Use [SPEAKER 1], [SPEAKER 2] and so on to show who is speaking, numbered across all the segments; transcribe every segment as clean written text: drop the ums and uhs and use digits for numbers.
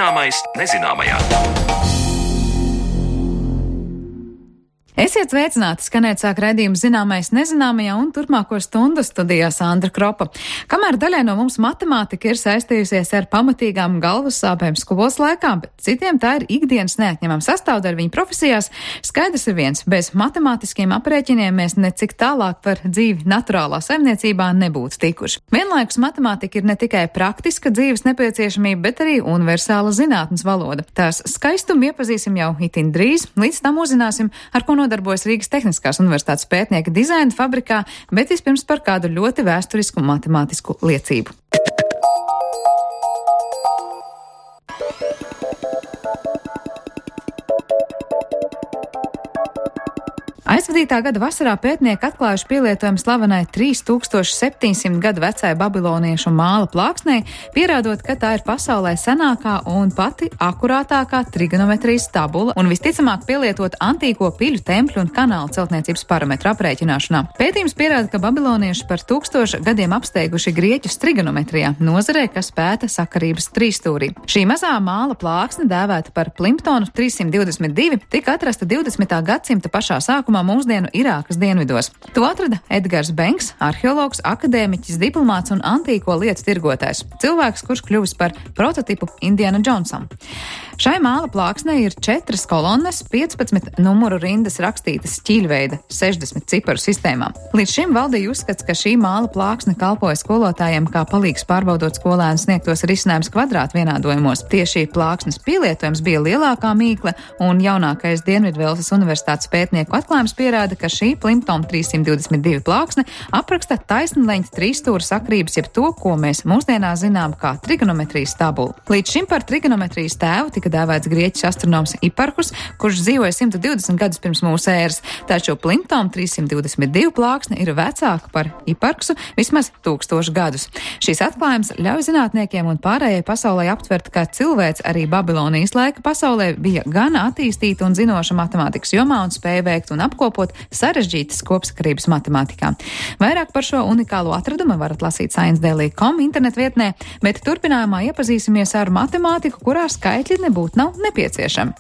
[SPEAKER 1] Zināmais nezināmajā.
[SPEAKER 2] Esiet sveicināti, skanēt sāk raidījums Zināmais nezināmajā un turpmāko stundu studijā Sandra Kropa. Kamēr daļai no mums matemātika ir saistījusies ar pamatīgām galvas sāpēm skolas laikā, bet citiem tā ir ikdienas neatņemama sastāvdaļa viņu profesijās, skaidrs ir viens, bez matemātiskiem aprēķiniem mēs necik tālāk par dzīvi naturālā saimniecībā nebūtu tikuši. Vienlaikus matemātika ir ne tikai praktiska dzīves nepieciešamība, bet arī universāla zinātnes valoda. Tās skaistumu iepazīsim jau itin drīz, līdz tam uzzināsim, ar ko nodarbojas Rīgas Tehniskās universitātes pētnieki dizaina fabrikā, bet vispirms par kādu ļoti vēsturisku matemātisku liecību. Aizvadītā gada vasarā pētnieki atklājuši pielietojumu slavenai 3700 gadu vecai babiloniešu māla plāksnei, pierādot, ka tā ir pasaulē senākā un pati akurātākā trigonometrijas tabula un visticamāk pielietot antīko piļu, tempļu un kanālu celtniecības parametru aprēķināšanā. Pētījums pierāda, ka babilonieši par 1000 gadiem apsteiguši grieķus trigonometrijā, nozarē, kas pēta sakarības trīsstūrī. Šī mazā māla plāksne, dēvēta par Plimptonu 322, tika atrasta 20. gadsimta pašā sākumā mūsdienu Irākas dienvidos. To atrada Edgars Benks, arheologs, akadēmiķis, diplomāts un antīko lietu tirgotājs. Cilvēks, kurš kļuvis par prototipu Indiana Jonesam. Šai māla plāksnē ir 4 kolonnes, 15 numuru rindas rakstītas ķīļveida 60 ciparu sistēmā. Līdz šim valdīja uzskats, ka šī māla plāksne kalpoja skolotājiem kā palīgs pārbaudot skolēnu sniegtos risinājumus kvadrātvienādojumos. Tieši plāksnes pielietojums bija lielākā mīkle, un jaunākais Dienvidvelsas universitātes pētnieku atklājums pierāda, ka šī Plimptona 322 plāksne apraksta taisnleņķa trīsstūra sakrības, jeb to, ko mēs mūsdienās zinām kā trigonometrijas tabulu. Līdz šim par trigonometrijas tēvu tika dēvēts grieķis astronoms Hiparhus, kurš dzīvoja 120 gadus pirms mūsu ēras, taču Plimptona 322 plāksne ir vecāka par Hiparhusu vismaz 1000 gadus. Šīs atklājums ļauj zinātniekiem un pārējai pasaulē aptvert, ka cilvēks arī Babilonijas laika pasaulē bija gan attīstīta un zinoša matemātikas jomā un spēja veikt un apkopot sarežģītas kopsakarības matemātikā. Vairāk par šo unikālo atradumu varat lasīt sciencedaily.com internetvietnē, bet turpinājumā iepazīsimies ar matemātiku, kurā skaitļi nebūtu nav nepieciešami.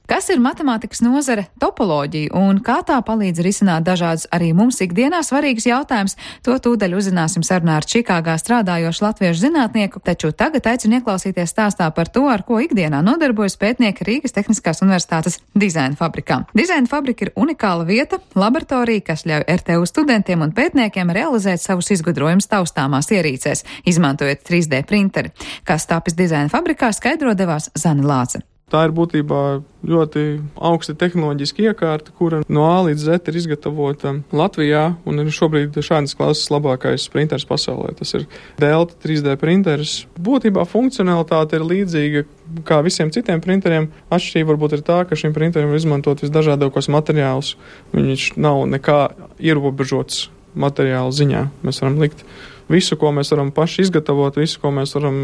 [SPEAKER 2] Kas ir matemātikas nozare topoloģija un kā tā palīdz risināt dažādus arī mums ikdienā svarīgus jautājumus, to tūdaļ uzzināsim sarunā ar Čikāgā strādājošu latviešu zinātnieku, taču tagad aicinu ieklausīties stāstā par to, ar ko ikdienā nodarbojas pētnieki Rīgas Tehniskās universitātes dizaina fabrikā. Dizaina fabrika ir unikāla vieta, laboratorija, kas ļauj RTU studentiem un pētniekiem realizēt savus izgudrojumus taustāmās ierīcēs, izmantojot 3D printeri. Kas tāpis dizaina fabrikā, skaidro devās Zane Lāce.
[SPEAKER 3] Tā ir būtībā ļoti augsta tehnoloģiska iekārta, kura no A līdz Z ir izgatavota Latvijā un ir šobrīd šādas klases labākais printers pasaulē. Tas ir Delta 3D printers. Būtībā funkcionalitāte ir līdzīga kā visiem citiem printeriem. Atšķirība varbūt ir tā, ka šim printerim var izmantot visdažādākos materiālus. Viņš nav nekā ierobežots materiālu ziņā. Mēs varam likt visu, ko mēs varam paši izgatavot, visu, ko mēs varam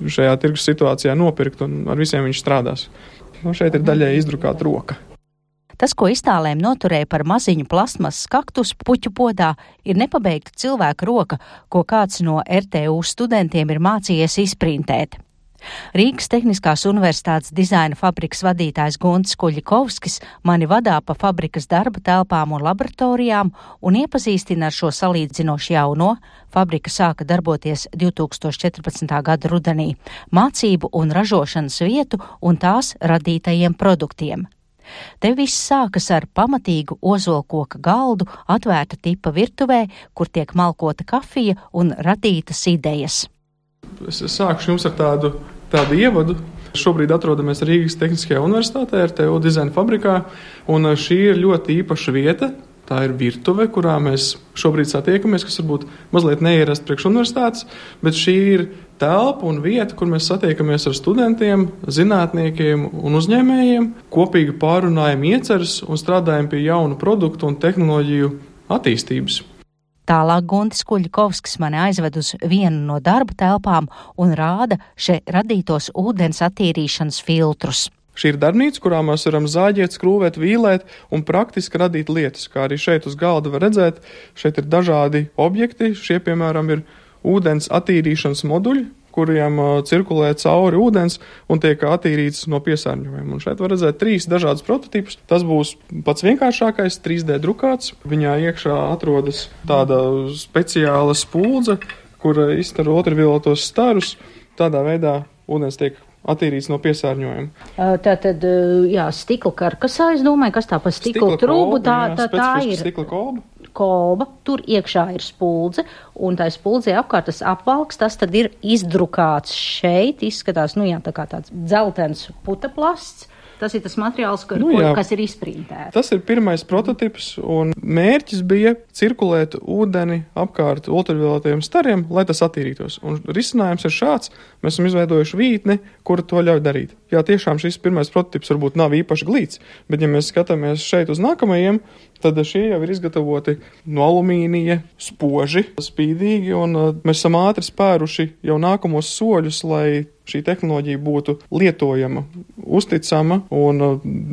[SPEAKER 3] šajā tirgus situācijā nopirkt, un ar visiem viņš strādās. Šeit ir daļai izdrukāta roka.
[SPEAKER 4] Tas, ko iztālēm noturēja par maziņu plasmasas kaktus puķu podā, ir nepabeigta cilvēka roka, ko kāds no RTU studentiem ir mācījies izprintēt. Rīgas Tehniskās universitātes dizaina fabrikas vadītājs Guntis Kuļikovskis mani vadā pa fabrikas darba telpām un laboratorijām un iepazīstina ar šo salīdzinoši jauno, fabrika sāka darboties 2014. gada rudenī, mācību un ražošanas vietu un tās radītajiem produktiem. Te viss sākas ar pamatīgu ozolkoka galdu, atvērta tipa virtuvē, kur tiek malkota kafija un radītas idejas.
[SPEAKER 3] Es sākšu jums ar tādu ievadu. Šobrīd atrodamies Rīgas Tehniskajā universitātē, RTU dizaina fabrikā, un šī ir ļoti īpaša vieta. Tā ir virtuve, kurā mēs šobrīd satiekamies, kas varbūt mazliet neierast priekš universitātes, bet šī ir telpa un vieta, kur mēs satiekamies ar studentiem, zinātniekiem un uzņēmējiem, kopīgi pārunājam ieceres un strādājam pie jaunu produktu un tehnoloģiju attīstības.
[SPEAKER 4] Tālāk Guntis Kuļikovskis mani aizved uz vienu no darba telpām un rāda še radītos ūdens attīrīšanas filtrus.
[SPEAKER 3] Šī ir darbnīca, kurā mēs varam zāģēt, skrūvēt, vīlēt un praktiski radīt lietas, kā arī šeit uz galda var redzēt. Šeit ir dažādi objekti, šie, piemēram, ir ūdens attīrīšanas moduļi, kuriem cirkulē cauri ūdens un tiek attīrīts no piesārņojuma. Un šeit var redzēt 3 dažādus prototipus. Tas būs pats vienkāršākais, 3D drukāts. Viņā iekšā atrodas tāda speciāla spuldze, kura izstaro ultravioletos starus. Tādā veidā ūdens tiek attīrīts no piesārņojuma.
[SPEAKER 4] Tātad, stikla karkasā, es domāju, kas tā pa stikla trūbu, tā ir
[SPEAKER 3] stikla
[SPEAKER 4] kolba, tur iekšā ir spuldze, un tā spuldze apkārt tas apvalks, tas tad ir izdrukāts šeit, izskatās, tā kā tāds dzeltens putaplasts. Tas ir tas materiāls, kas ir izprintēts.
[SPEAKER 3] Tas ir pirmais prototips, un mērķis bija cirkulēt ūdeni apkārt ultravioletiem stariem, lai tas attīrītos. Un risinājums ir šāds. Mēs esam izveidojuši vītni, kura to ļauj darīt. Jā, tiešām šis pirmais prototips varbūt nav īpaši glīts, bet ja mēs skatāmies šeit uz nākamajiem, tad šie jau ir izgatavoti no alumīnija, spoži, spīdīgi, un mēs esam ātri spēruši jau nākamos soļus, lai šī tehnoloģija būtu lietojama, uzticama un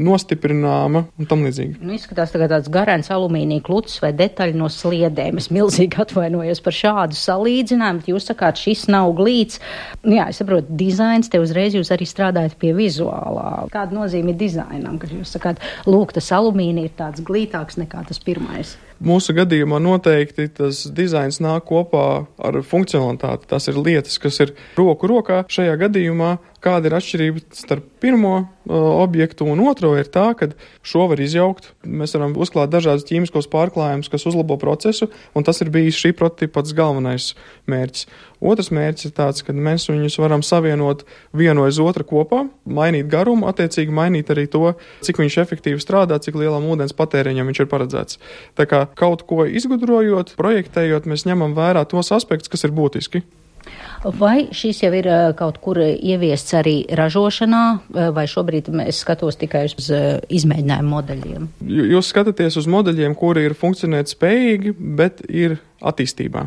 [SPEAKER 3] nostiprināma un tam līdzīgi.
[SPEAKER 4] Izskatās tagad tāds garants alumīnija kluts vai detaļa no sliedēm. Es milzīgi atvainojos par šādu salīdzinājumu, bet jūs sakāt, šis nav glīts. Jā, es saprotu, dizains, te uzreiz jūs arī strādājat pie vizuālā. Kāda nozīme ir dizainam, kad jūs sakāt, lūk, tas alumīnija ir tāds glītāks nekā tas pirmais?
[SPEAKER 3] Mūsu gadījumā noteikti tas dizains nāk kopā ar funkcionalitāti. Tas ir lietas, kas ir roku rokā. Šajā gadījumā kāda ir atšķirība starp pirmo objektu un otro ir tā, ka šo var izjaukt. Mēs varam uzklāt dažādus ķīmiskos pārklājumus, kas uzlabo procesu, un tas ir bijis šī prototipa pats galvenais mērķis. Otrs mērķis ir tāds, ka mēs viņus varam savienot vienu aiz otru kopā, mainīt garumu, attiecīgi mainīt arī to, cik viņš efektīvi strādā, cik lielam ūdens patēriņam viņš ir paredzēts. Tā kā kaut ko izgudrojot, projektējot, mēs ņemam vērā tos aspektus, kas ir būtiski.
[SPEAKER 4] Vai šis jau ir kaut kur ieviests arī ražošanā, vai šobrīd es skatos tikai uz izmēģinājumu modeļiem?
[SPEAKER 3] Jūs skatāties uz modeļiem, kuri ir funkcionēt spējīgi, bet ir attīstībā.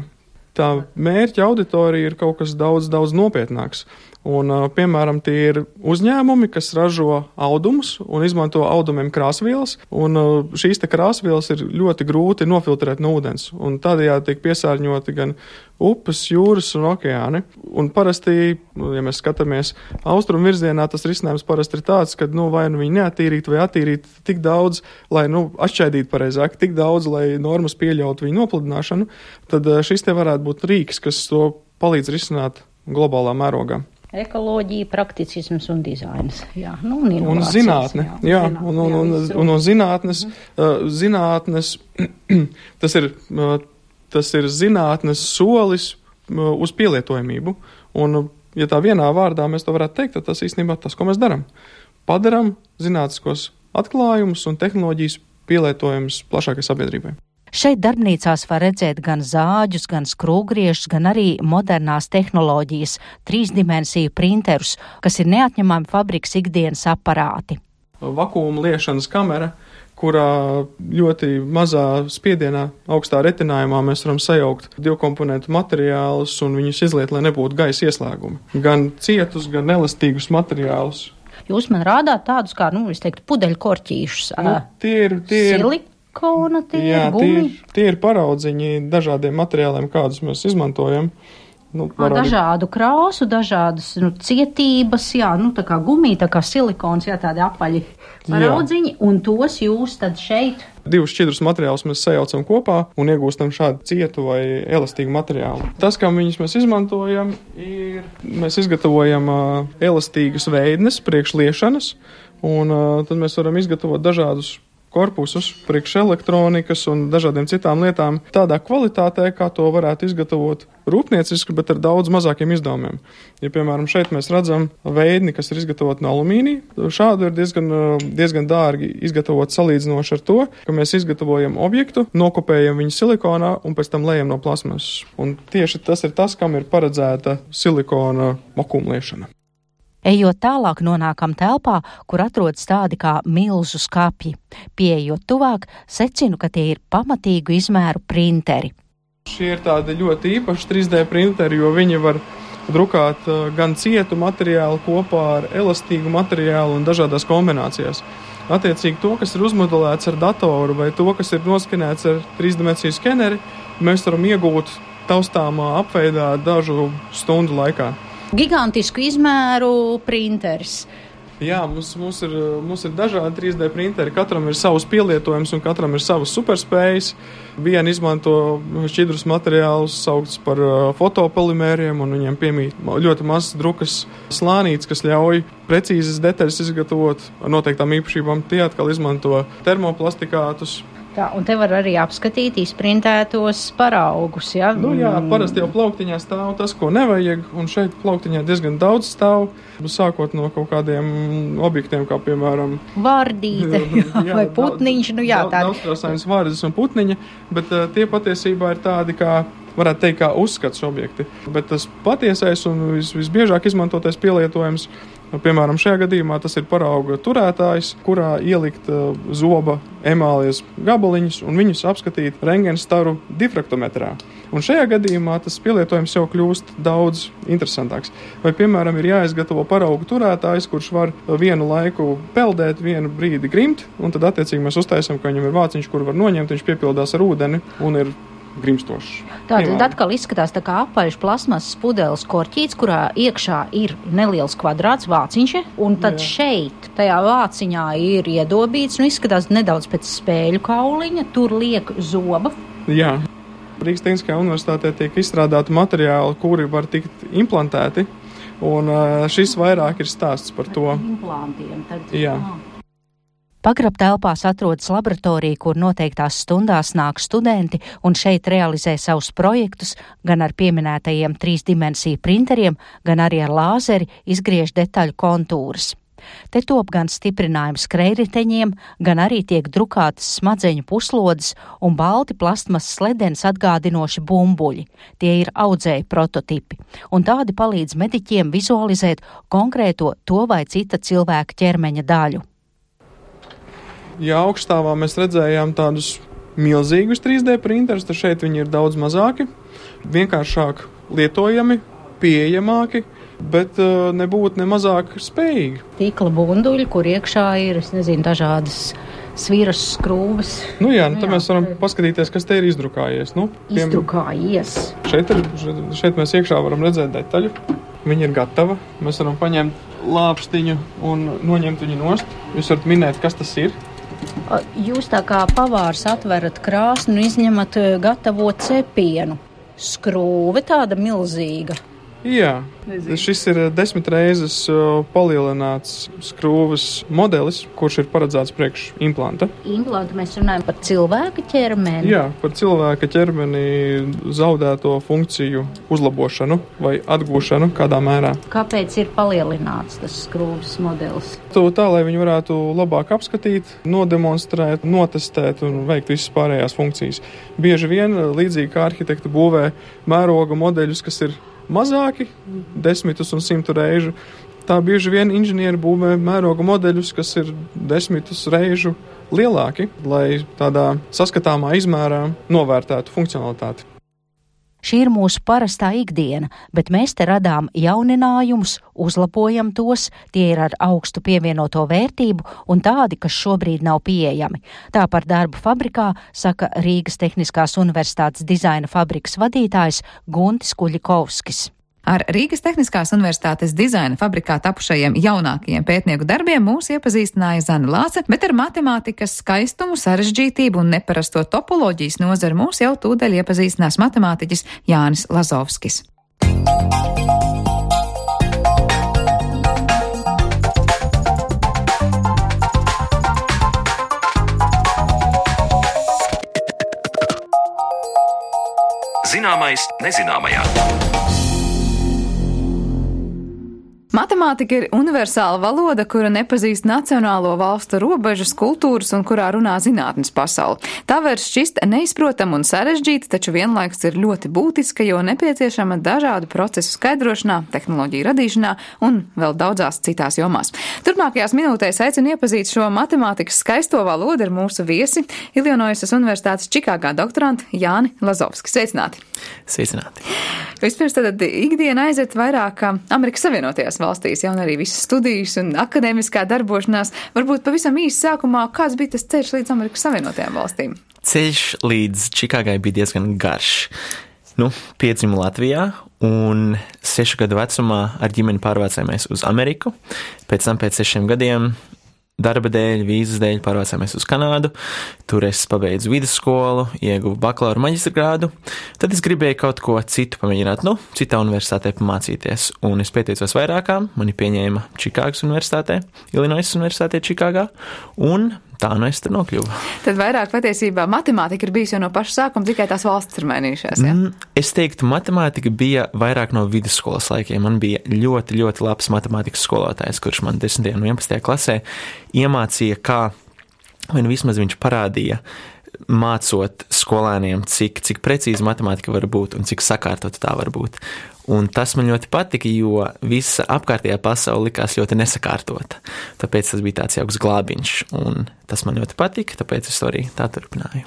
[SPEAKER 3] Tā mērķa auditorija ir kaut kas daudz nopietnāks. Un, piemēram, tie ir uzņēmumi, kas ražo audumus un izmanto audumiem krāsvielas, un šīs te krāsvielas ir ļoti grūti nofiltrēt no ūdens, un tādējādi tiek piesārņoti gan upes, jūras un okeāni. Un parasti, ja mēs skatāmies austrumu virzienā, tas risinājums parasti ir tāds, ka vai viņi neattīrīt vai attīrīt tik daudz, lai atšķaidītu pareizāk, tik daudz, lai normas pieļautu viņu nopludināšanu, tad šis te varētu būt rīks, kas to palīdz risināt globālā mērogā.
[SPEAKER 4] Ekoloģija, prakticisms un dizains. Jā, un
[SPEAKER 3] zinātne. Jā, un zinātnes, tas ir zinātnes solis uz pielietojamību. Un, ja tā vienā vārdā mēs to varētu teikt, tad tas īstenībā tas, ko mēs darām. Padaram zinātniskos atklājumus un tehnoloģijas pielietojumus plašākai sabiedrībai.
[SPEAKER 4] Šeit darbnīcās var redzēt gan zāģus, gan skrūvgriežus, gan arī modernās tehnoloģijas, 3-dimensiju printerus, kas ir neatņemami fabrikas ikdienas aparāti.
[SPEAKER 3] Vakuma liešanas kamera, kurā ļoti mazā spiedienā, augstā retinājumā mēs varam sajaukt divkomponentu materiālus un viņus izliet, lai nebūtu gaisa ieslēgumi. Gan cietus, gan elastīgus materiālus.
[SPEAKER 4] Jūs man rādāt tādus kā, es teiktu, pudeļkorķīšus.
[SPEAKER 3] Tie ir
[SPEAKER 4] silikona,
[SPEAKER 3] tie ir paraudziņi dažādiem materiāliem, kādus mēs izmantojam.
[SPEAKER 4] Dažādu krāsu, dažādas cietības, tā kā gumija, tā kā silikons, tādi apaļi paraudziņi, un tos jūs tad šeit.
[SPEAKER 3] 2 šķidrus materiālus mēs sajaucam kopā un iegūstam šādu cietu vai elastīgu materiālu. Tas, kā viņus mēs izmantojam, ir, mēs izgatavojam elastīgas veidnes priekš liešanas, un tad mēs varam izgatavot dažādus korpusus, priekš elektronikas un dažādiem citām lietām tādā kvalitātē, kā to varētu izgatavot rūpnieciski, bet ar daudz mazākiem izdevumiem. Ja, piemēram, šeit mēs redzam veidni, kas ir izgatavot no alumīnija, šādu ir diezgan dārgi izgatavot salīdzinoši ar to, ka mēs izgatavojam objektu, nokopējam viņu silikonā un pēc tam lejam no plasmasas. Un tieši tas ir tas, kam ir paredzēta silikona vakumliešana.
[SPEAKER 4] Ejot tālāk, nonākam telpā, kur atrodas tādi kā milzu skapji. Pieejot tuvāk, secinu, ka tie ir pamatīgu izmēru printeri.
[SPEAKER 3] Šie ir tādi ļoti īpaši 3D printeri, jo viņi var drukāt gan cietu materiālu kopā ar elastīgu materiālu un dažādās kombinācijās. Attiecīgi to, kas ir uzmodelēts ar datoru vai to, kas ir noskanēts ar 3-dimensiju skeneri, mēs varam iegūt taustāmā apveidā dažu stundu laikā.
[SPEAKER 4] Gigantisku izmēru printeris.
[SPEAKER 3] Jā, mums ir dažādi 3D printeri, katram ir savs pielietojums un katram ir savas superspējas. Viena izmanto šķidrus materiālus, saukts par fotopolimēriem, un viņiem piemīt ļoti mazs drukas slānītes, kas ļauj precīzas detaļas izgatavot ar noteiktām īpašībām. Tie atkal izmanto termoplastikātus.
[SPEAKER 4] Tā, un te var arī apskatīt izprintētos paraugus, ja?
[SPEAKER 3] Jā, parasti jau plauktiņā stāv tas, ko nevajag, un šeit plauktiņā diezgan daudz stāv, sākot no kaut kādiem objektiem, kā piemēram
[SPEAKER 4] vardīte vai putniņš,
[SPEAKER 3] Daudzkrāsainas vārdas un putniņa, bet tie patiesībā ir tādi, kā varētu teikt, kā uzskats objekti. Bet tas patiesais un visbiežāk izmantotais pielietojums, piemēram, šajā gadījumā tas ir parauga turētājs, kurā ielikt zoba emālijas gabaliņus un viņus apskatīt rentgenstaru difraktometrā. Un šajā gadījumā tas pielietojums jau kļūst daudz interesantāks. Vai, piemēram, ir jāizgatavo paraugu turētājs, kurš var vienu laiku peldēt, vienu brīdi grimt, un tad attiecīgi mēs uztaisam, ka viņam ir vāciņš, kur var noņemt, viņš piepildās ar ūdeni un ir grimstošs.
[SPEAKER 4] Tātad atkal izskatās tā kā apaļš plasmasas pudeles korķīts, kurā iekšā ir neliels kvadrāts vāciņš, un tad šeit, tajā vāciņā ir iedobīts, izskatās nedaudz pēc spēļu kauliņa, tur liek zoba.
[SPEAKER 3] Jā. Rīgas Tehniskajā universitātē tiek izstrādāti materiāli, kuri var tikt implantēti, un šis vairāk ir stāsts par to.
[SPEAKER 4] Implantiem.
[SPEAKER 3] Jā.
[SPEAKER 4] Pagrabtelpās atrodas laboratorija, kur noteiktās stundās nāk studenti un šeit realizē savus projektus, gan ar pieminētajiem 3-dimensiju printeriem, gan arī ar lāzeri izgriež detaļu kontūras. Te top gan stiprinājums skrejriteņiem, gan arī tiek drukātas smadzeņu puslodes un balti plastmasas ledens atgādinoši bumbuļi. Tie ir audzēju prototipi, un tādi palīdz mediķiem vizualizēt konkrēto to vai cita cilvēka ķermeņa daļu.
[SPEAKER 3] Ja augststāvā mēs redzējām tādus milzīgus 3D printerus, tad šeit viņi ir daudz mazāki, vienkāršāk lietojami, pieejamāki, bet nebūtu ne mazāk spējīgi.
[SPEAKER 4] Tīkla bunduļi, kur iekšā ir, dažādas sviras skrūves.
[SPEAKER 3] Tad mēs varam paskatīties, kas te ir izdrukājies.
[SPEAKER 4] Izdrukājies.
[SPEAKER 3] Šeit mēs iekšā varam redzēt detaļu. Viņa ir gatava. Mēs varam paņemt lāpstiņu un noņemt viņu nost. Jūs varat minēt, kas tas ir.
[SPEAKER 4] Jūs tā kā pavārs atverat krāsni un izņemat gatavo cepienu. Skrūve tāda milzīga.
[SPEAKER 3] Jā, šis ir 10 reizes palielināts skrūves modelis, kurš ir paredzēts priekš implanta.
[SPEAKER 4] Implanta mēs runājam par cilvēka ķermeni?
[SPEAKER 3] Jā, par cilvēka ķermeni zaudēto funkciju uzlabošanu vai atgūšanu kādā mērā.
[SPEAKER 4] Kāpēc ir palielināts tas skrūves modelis?
[SPEAKER 3] Tā, lai viņi varētu labāk apskatīt, nodemonstrēt, notestēt un veikt visas pārējās funkcijas. Bieži vien, līdzīgi kā arhitekti būvē mēroga modeļus, kas ir mazāki, 10 un 100 reižu. Tā bieži vien inženieri būvē mēroga modeļus, kas ir 10 reižu lielāki, lai tādā saskatāmā izmērā novērtētu funkcionalitāti.
[SPEAKER 4] Šī ir mūsu parastā ikdiena, bet mēs te radām jauninājumus, uzlabojam tos, tie ir ar augstu pievienoto vērtību un tādi, kas šobrīd nav pieejami. Tā par darbu fabrikā saka Rīgas Tehniskās universitātes dizaina fabrikas vadītājs Guntis Kuļikovskis.
[SPEAKER 2] Ar Rīgas Tehniskās universitātes dizaina fabrikā tapušajiem jaunākajiem pētnieku darbiem mūs iepazīstināja Zana Lāce, bet ar matemātikas skaistumu, sarežģītību un neparasto topoloģijas nozari mūs jau tūdaļ iepazīstinās matemātiķis Jānis Lazovskis.
[SPEAKER 1] Zināmais nezināmajā.
[SPEAKER 2] Matemātika ir universāla valoda, kura nepazīst nacionālo valstu robežas, kultūras un kurā runā zinātnes pasauli. Tā var šķist neizprotama un sarežģīta, taču vienlaikus ir ļoti būtiska, jo nepieciešama dažādu procesu skaidrošanā, tehnoloģiju radīšanā un vēl daudzās citās jomās. Turpmākajās minūtēs aicinu iepazīt šo matemātikas skaisto valodu ar mūsu viesi, Ilinoisas Universitātes Čikāgā doktorantu Jāni Lazovski. Sveicināti!
[SPEAKER 1] Sveicināti!
[SPEAKER 2] Vispirms tad ikdiena aiziet vairāk Amerikas Savienotajās valstīs, jau arī visas studijas un akadēmiskā darbošanās. Varbūt pavisam īsi sākumā, kāds bija tas ceļš līdz Amerikas Savienotajām valstīm?
[SPEAKER 1] Ceļš līdz Čikāgai bija diezgan garš. Piedzimu Latvijā un 6 gadu vecumā ar ģimeni pārvācāmies uz Ameriku. Pēc tam pēc 6 gadiem darba dēļ, vīzas dēļ pārvācāmies uz Kanādu. Tur es pabeidzu vidusskolu, ieguvu bakalaura maģistra grādu. Tad es gribēju kaut ko citu pamēģināt, citā universitātē pamācīties. Un es pieteicos vairākām, mani pieņēma Čikāgas universitātē, Ilinoisas Universitātē Čikāgā, un tā es tur nokļuvu.
[SPEAKER 2] Tad vairāk patiesībā matemātika ir bijusi jau no paša sākuma, tikai tās valstis ir mainījušās, ja?
[SPEAKER 1] Es teiktu, matemātika bija vairāk no vidusskolas laikiem. Man bija ļoti, ļoti labs matemātikas skolotājs, kurš man 10. un 11. klasē iemācīja, vai vismaz viņš parādīja, mācot skolēniem, cik precīzi matemātika var būt un cik sakārtot tā var būt. Un tas man ļoti patika, jo visa apkārtējā pasaule likās ļoti nesakārtota. Tāpēc tas bija tāds jauks glābiņš, un tas man ļoti patika, tāpēc es to arī tā turpināju.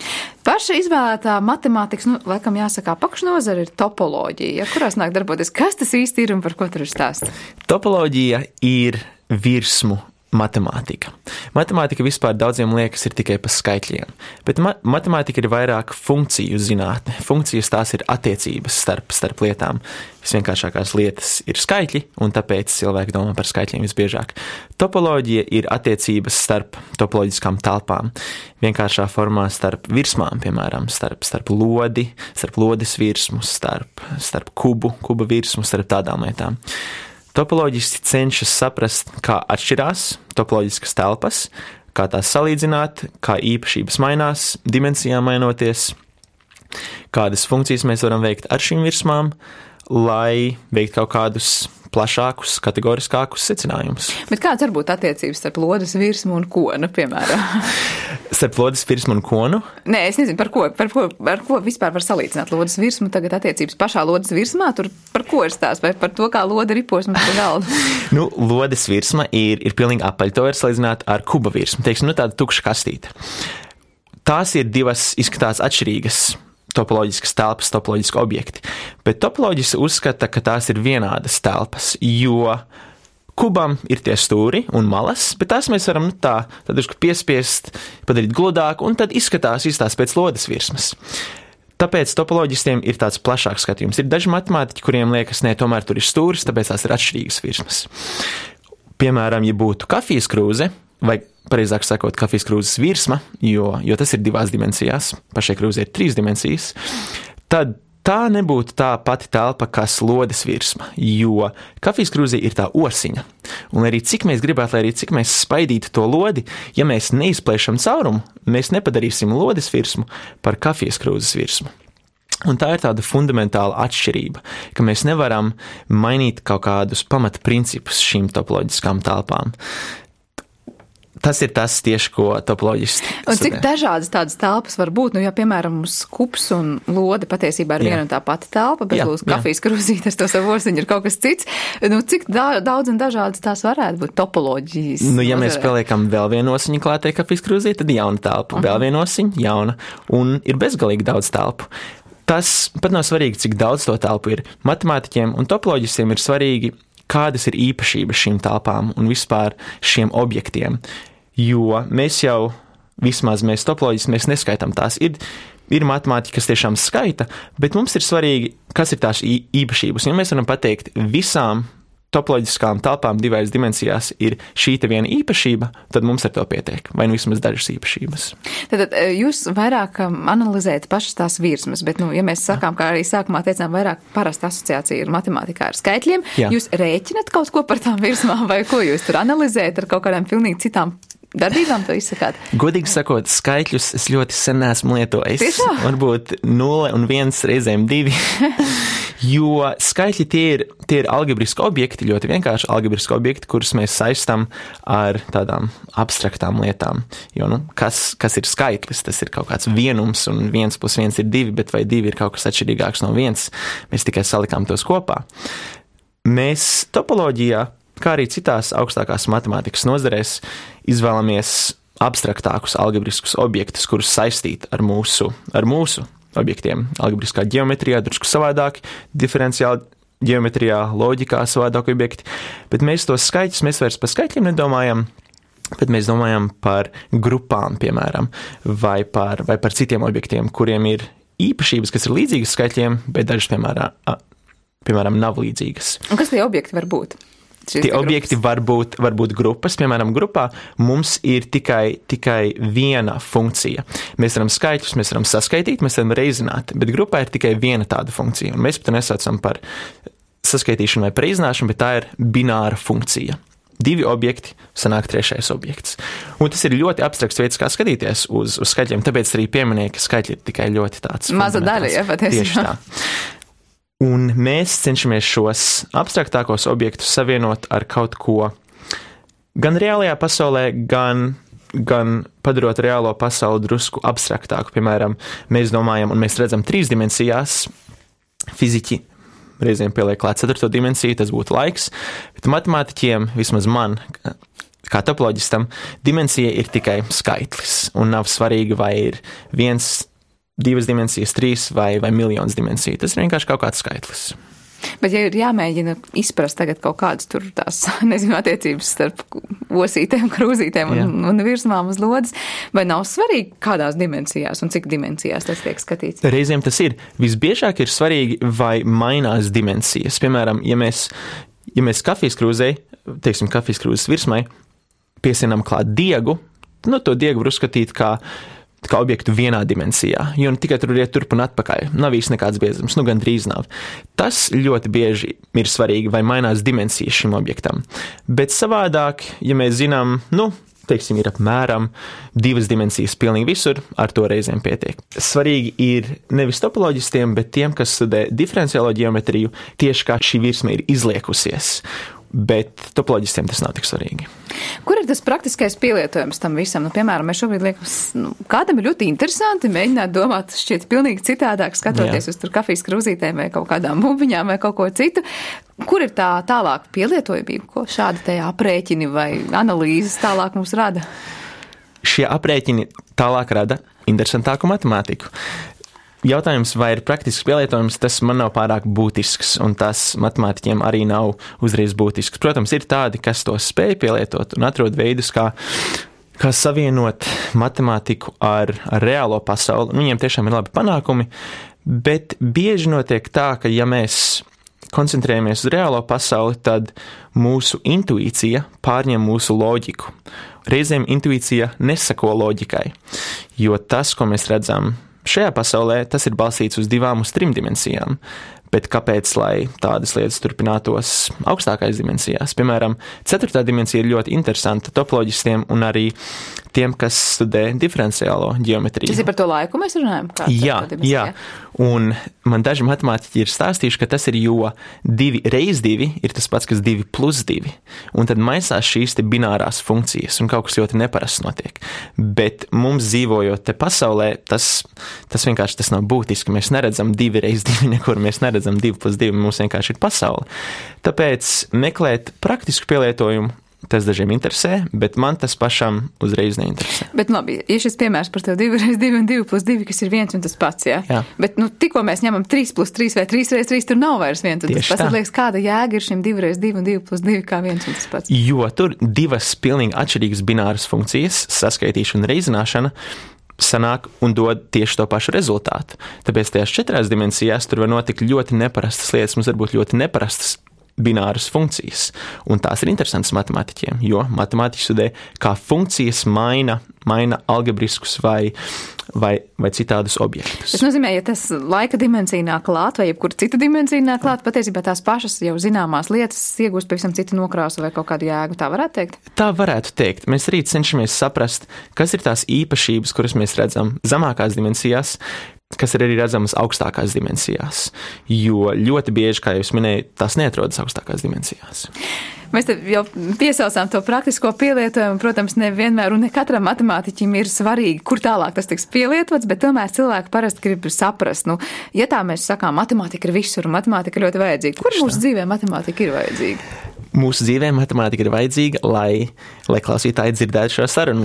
[SPEAKER 2] Paša izvēlētā matemātikas, laikam jāsaka, apakšnozara ir topoloģija, kurās nāk darboties. Kas tas īsti ir un par ko tur ir stāsts?
[SPEAKER 1] Topoloģija ir virsmu matemātika. Matemātika vispār daudziem liekas ir tikai pa skaitļiem, bet matemātika ir vairāk funkciju zinātne. Funkcijas tās ir attiecības starp lietām. Visvienkāršākās lietas ir skaitļi, un tāpēc cilvēki domā par skaitļiem visbiežāk. Topoloģija ir attiecības starp topoloģiskām telpām. Vienkāršā formā starp virsmām, piemēram, starp lodi, starp lodes virsmu, starp kuba virsmu, starp tādām lietām. Topoloģisti cenšas saprast, kā atšķirās topoloģiskas telpas, kā tās salīdzināt, kā īpašības mainās, dimensijām mainoties, kādas funkcijas mēs varam veikt ar šīm virsmām, lai veikt kaut kādus plašākus, kategoriskākus secinājumus.
[SPEAKER 2] Bet kāds var būt attiecības starp lodes virsmu un konu, piemēram?
[SPEAKER 1] Starp lodes virsmu un konu?
[SPEAKER 2] Nē, es nezinu, par ko vispār var salīdzināt lodes virsmu. Tagad attiecības pašā lodes virsmā, tur par ko ir stāsts, vai par to, kā lode ripos mums pa galdu?
[SPEAKER 1] Lodes virsma ir pilnīgi apaļa. To var salīdzināt ar kuba virsmu. Teiksim, tāda tukša kastīte. Tās ir divas izskatās atšķirīgas topoloģiskas telpas, topoloģiski objekti. Bet topoloģisti uzskata, ka tās ir vienādas telpas, jo kubam ir tie stūri un malas, bet tās mēs varam tad piespiest, padarīt gludāk, un tad izskatās pēc lodes virsmas. Tāpēc topoloģistiem ir tāds plašāks skatījums. Ir daži matemātiķi, kuriem liekas, tomēr tur ir stūris, tāpēc tās ir atšķirīgas virsmas. Piemēram, ja būtu kafijas krūze, vai pareizāk sakot, kafijas krūzes virsma, jo tas ir 2 dimensijās, pašai krūzē ir 3 dimensijas, tad tā nebūtu tā pati telpa, kas lodes virsma, jo kafijas krūzē ir tā osiņa. Un arī cik mēs gribētu, lai arī cik mēs spaidītu to lodi, ja mēs neizplēšam caurumu, mēs nepadarīsim lodes virsmu par kafijas krūzes virsmu. Un tā ir tāda fundamentāla atšķirība, ka mēs nevaram mainīt kaut kādus pamatprincipus šīm topoloģiskām telpām. Tas ir tas tieši, ko topoloģisti studē.
[SPEAKER 2] Un cik dažādas tādas telpas var būt? Ja, piemēram, mums kups un lode patiesībā ir viena un tā pati telpa, bet lūdzu kafijas krūzīte ar to savu osiņu ir kaut kas cits. Cik daudz un dažādas tās varētu būt topoloģijas?
[SPEAKER 1] Ja mēs pieliekam vēl vienu osiņu klātai kafijas krūzītei, tad jauna telpa, vēl viena osiņa, jauna, un ir bezgalīgi daudz telpu. Tas pat nav svarīgi, cik daudz to telpu ir. Matemātiķiem un topoloģistiem ir svarīgi, kādas ir īpašības šīm telpām un vispār šiem objektiem. Jo mēs topoloģisti, mēs neskaitām tās. Ir matemātika, kas tiešām skaita, bet mums ir svarīgi, kas ir tās īpašības. Ja mēs varam pateikt, visām topoloģiskām telpām 2 dimensijās ir šī te viena īpašība, tad mums ar to pietiek, vai vismaz dažas īpašības.
[SPEAKER 2] Tad jūs vairāk analizējat pašas tās virsmas, bet, ja mēs sakām, kā arī sākumā teicām, vairāk parasta asociācija ir matemātikā ar skaitļiem, jūs rēķinat kaut ko par tām virsmām, vai ko jūs tur analizējat ar kaut kādām pilnīgi citām darbībām to izsakāt?
[SPEAKER 1] Godīgi sakot, skaitļus es ļoti sen esmu lietojis.
[SPEAKER 2] Tiešām?
[SPEAKER 1] Varbūt 0 un 1 reizēm 2. Jo skaitļi tie ir algebriski objekti, ļoti vienkārši algebriski objekti, kurus mēs saistam ar tādām abstraktām lietām. Jo, kas ir skaitlis? Tas ir kaut kāds vienums, un 1 plus 1 ir 2, bet vai 2 ir kaut kas atšķirīgāks no 1? Mēs tikai salikām tos kopā. Mēs topoloģijā, kā arī citās augstākās matemātikas nozarēs, izvēlamies abstraktākus algebriskus objektus, kurus saistīt ar mūsu objektiem. Algebriskā ģeometrijā drusku savādāk, diferenciāli ģeometrijā, loģikā savādāk objekti, bet mēs tos skaitļus, mēs vairs par skaitļiem nedomājam, bet mēs domājam par grupām, piemēram, vai par citiem objektiem, kuriem ir īpašības, kas ir līdzīgas skaitļiem, bet dažas, piemēram, nav līdzīgas.
[SPEAKER 2] Un kas tie objekti var būt?
[SPEAKER 1] Tie objekti var būt grupas. Piemēram, grupā mums ir tikai viena funkcija. Mēs varam skaitļus, mēs varam saskaitīt, mēs varam reizināt, bet grupā ir tikai viena tāda funkcija. Un mēs pat nesaucam par saskaitīšanu vai par reizināšanu, bet tā ir bināra funkcija. 2 objekti, sanāk 3. objekts. Un tas ir ļoti abstrakts veids, kā skatīties uz skaitļiem, tāpēc arī pieminēja, ka skaitļi ir tikai ļoti tāds.
[SPEAKER 2] Maza daļa, ja patiesībā.
[SPEAKER 1] Tieši tā. Un mēs cenšamies šos abstraktākos objektus savienot ar kaut ko gan reālajā pasaulē, gan padarot reālo pasauli drusku abstraktāku. Piemēram, mēs domājam un mēs redzam 3 dimensijās. Fiziķi reizēm pieliek klāt 4. dimensiju, tas būtu laiks, bet matemātiķiem, vismaz man, kā topoloģistam, dimensija ir tikai skaitlis, un nav svarīgi, vai ir 1, 2 dimensijas, 3 vai miljons dimensiju. Tas ir vienkārši kaut kāds skaitlis.
[SPEAKER 2] Bet ja ir jāmēģina izprast tagad kaut kādas tur tās, attiecības starp osītēm, krūzītēm un virsmām uz lodes, vai nav svarīgi kādās dimensijās un cik dimensijās tas tiek skatīts?
[SPEAKER 1] Reizēm tas ir. Visbiežāk ir svarīgi, vai mainās dimensijas. Piemēram, ja mēs kafijas krūzei, teiksim, kafijas krūzes virsmai, piesienam klāt diegu, to diegu var uzskatīt kā objektu vienā dimensijā, jo tikai tur iet turp un atpakaļ. Nav īsti nekāds biezums, gandrīz nav. Tas ļoti bieži ir svarīgi, vai mainās dimensijas šim objektam. Bet savādāk, ja mēs zinām, teiksim, ir apmēram 2 dimensijas pilnīgi visur, ar to reizēm pietiek. Svarīgi ir nevis topoloģistiem, bet tiem, kas studē diferenciālo ģeometriju, tieši kā šī virsma ir izliekusies. Bet topoloģistiem tas nav tik svarīgi.
[SPEAKER 2] Kur ir tas praktiskais pielietojums tam visam? Piemēram, mēs šobrīd liekam, kādam ir ļoti interesanti mēģināt domāt šķiet pilnīgi citādāk, skatoties uz tur kafijas krūzītēm vai kaut kādām bumbiņām vai kaut ko citu. Kur ir tā tālāk pielietojumība, ko šādi te aprēķini vai analīzes tālāk mums rada?
[SPEAKER 1] Šie aprēķini tālāk rada interesantāku matemātiku. Jautājums, vai ir praktisks pielietojums, tas man nav pārāk būtisks, un tas matemātiķiem arī nav uzreiz būtisks. Protams, ir tādi, kas to spēj pielietot un atrod veidus, kā savienot matemātiku ar reālo pasauli. Viņiem tiešām ir labi panākumi, bet bieži notiek tā, ka ja mēs koncentrējamies uz reālo pasauli, tad mūsu intuīcija pārņem mūsu loģiku. Reizēm intuīcija nesako loģikai, jo tas, ko mēs redzam šajā pasaulē, tas ir balstīts uz 2 uz 3 dimensijām. Bet kāpēc, lai tādas lietas turpinātos augstākais dimensijās? Piemēram, 4. dimensija ir ļoti interesanta topoloģistiem un arī tiem, kas studē diferenciālo ģeometriju.
[SPEAKER 2] Tas ir par to laiku mēs runājam?
[SPEAKER 1] Jā. Un man daži matemātiķi ir stāstījuši, ka tas ir, jo 2 reiz 2 ir tas pats, kas 2 plus 2. Un tad maisās šīs te binārās funkcijas un kaut kas ļoti neparasts notiek. Bet mums dzīvojot te pasaulē, tas vienkārši tas nav būtiski. Mēs neredzam 2 reiz 2 nekur, mēs neredzam 2 plus 2, mums vienkārši ir pasaule. Tāpēc meklēt praktisku pielietojumu, tas dažiem interesē, bet man tas pašam uzreiz neinteresē.
[SPEAKER 2] Bet labi, ja šis piemērs par tev 2 reiz 2 un 2 plus 2, kas ir viens un tas pats, jā? Bet tikko mēs ņemam 3 plus 3 vai 3 reiz 3, tur nav vairs viens un tas pats. Tad liekas, kāda jēga ir šim 2 reiz 2 un 2 plus 2 kā viens un tas pats?
[SPEAKER 1] Jo tur 2 pilnīgi atšķirīgas bināras funkcijas, saskaitīšana un reizināšana, sanāk un dod tieši to pašu rezultātu. Tāpēc tajās 4 dimensijās tur var notikt ļoti neparastas lietas, mums var būt ļoti neparastas bināras funkcijas. Un tās ir interesantas matemātiķiem, jo matemātiķi studē, kā funkcijas maina algebriskus vai citādus objektus.
[SPEAKER 2] Tas nozīmē, ja tas laika dimensija nāk klāt vai jebkur cita dimensija nāk klāt, patiesībā tās pašas jau zināmās lietas iegūst pavisam citu nokrāsu vai kaut kādu jēgu. Tā varētu teikt? Tā varētu
[SPEAKER 1] teikt. Mēs arī cenšamies saprast, kas ir tās īpašības, kuras mēs redzam zemākās dimensijās, kas ir arī redzamas augstākās dimensijās. Jo ļoti bieži, kā jau es minēju, tās neatrodas augstākās dimensijās.
[SPEAKER 2] Mēs te jau piesaucām to praktisko pielietojumu. Protams, nevienmēr un ne katram matemātiķim ir svarīgi, kur tālāk tas tiks pielietots, bet tomēr cilvēki parasti grib saprast. Ja tā mēs sakām, matemātika ir visur, matemātika ir ļoti vajadzīga. Kur mūsu dzīvē matemātika ir vajadzīga?
[SPEAKER 1] Mūsu dzīvē matemātika ir vajadzīga, lai klausītāji dzirdētu šo sarunu,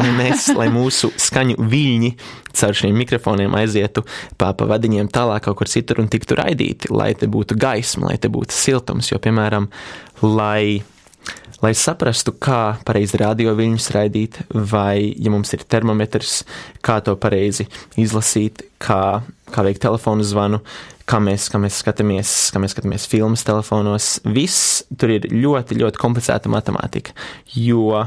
[SPEAKER 1] lai mūsu skaņu viļņi caur šiem mikrofoniem aizietu pa vadiņiem tālāk kaut kur citur un tiktu raidīti, lai te būtu gaisma, lai te būtu siltums, jo, piemēram, lai saprastu, kā pareizi radioviļņus raidīt, vai, ja mums ir termometrs, kā to pareizi izlasīt, kā veikt telefonu zvanu, kā mēs skatāmies filmas telefonos. Viss tur ir ļoti, ļoti komplicēta matemātika, jo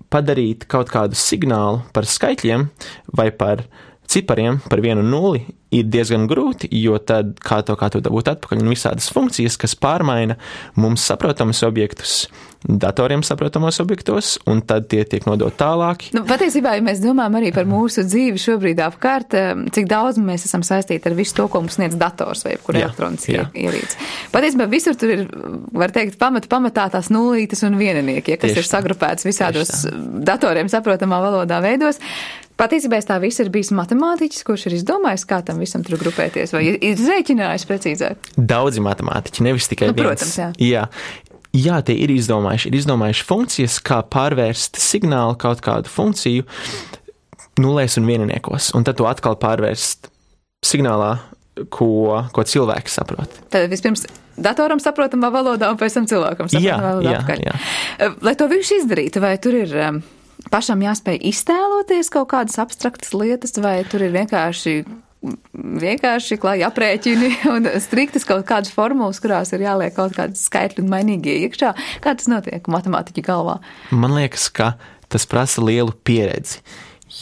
[SPEAKER 1] padarīt kaut kādu signālu par skaitļiem vai par cipariem, par 1 un 0, ir diezgan grūti, jo tad kā to dabūt atpakaļ un visādas funkcijas, kas pārmaina mums saprotamus objektus, datoriem saprotamos objektos, un tad tie tiek nodot tālāk.
[SPEAKER 2] Patiesībā, ja mēs domājam arī par mūsu dzīvi šobrīd apkārt, cik daudz mēs esam saistīti ar visu to, ko mums sniedz dators vai jebkur elektroniskie ierīces. Patiesībā visur tur ir, var teikt, pamatā tās nulītes un vieninieki, kas ir sagrupēts visādos datoriem saprotamā valodā veidos. Patiesībā tā viss ir bijis matemātiķis, kurš ir izdomājis, kā tam visam tur grupēties, vai ir rēķinājis precīzāk?
[SPEAKER 1] Daudzi matemātiķi, nevis tikai viens.
[SPEAKER 2] Protams, jā.
[SPEAKER 1] Jā, tie ir izdomājuši funkcijas, kā pārvērst signālu kaut kādu funkciju nulēs un vieniniekos, un tad to atkal pārvērst signālā, ko cilvēks saprot.
[SPEAKER 2] Tad vispirms datoram saprotamā valodā, un pēc tam cilvēkam saprotamā valodā apkārt. Jā. Lai to visu izdarītu, vai tur ir pašam jāspēj iztēloties kaut kādas abstraktas lietas, vai tur ir vienkārši klāji aprēķini un striktas kaut kādas formulas, kurās ir jāliek kaut kādas skaitļi un mainīgie iekšā? Kā tas notiek matemātiķa galvā?
[SPEAKER 1] Man liekas, ka tas prasa lielu pieredzi,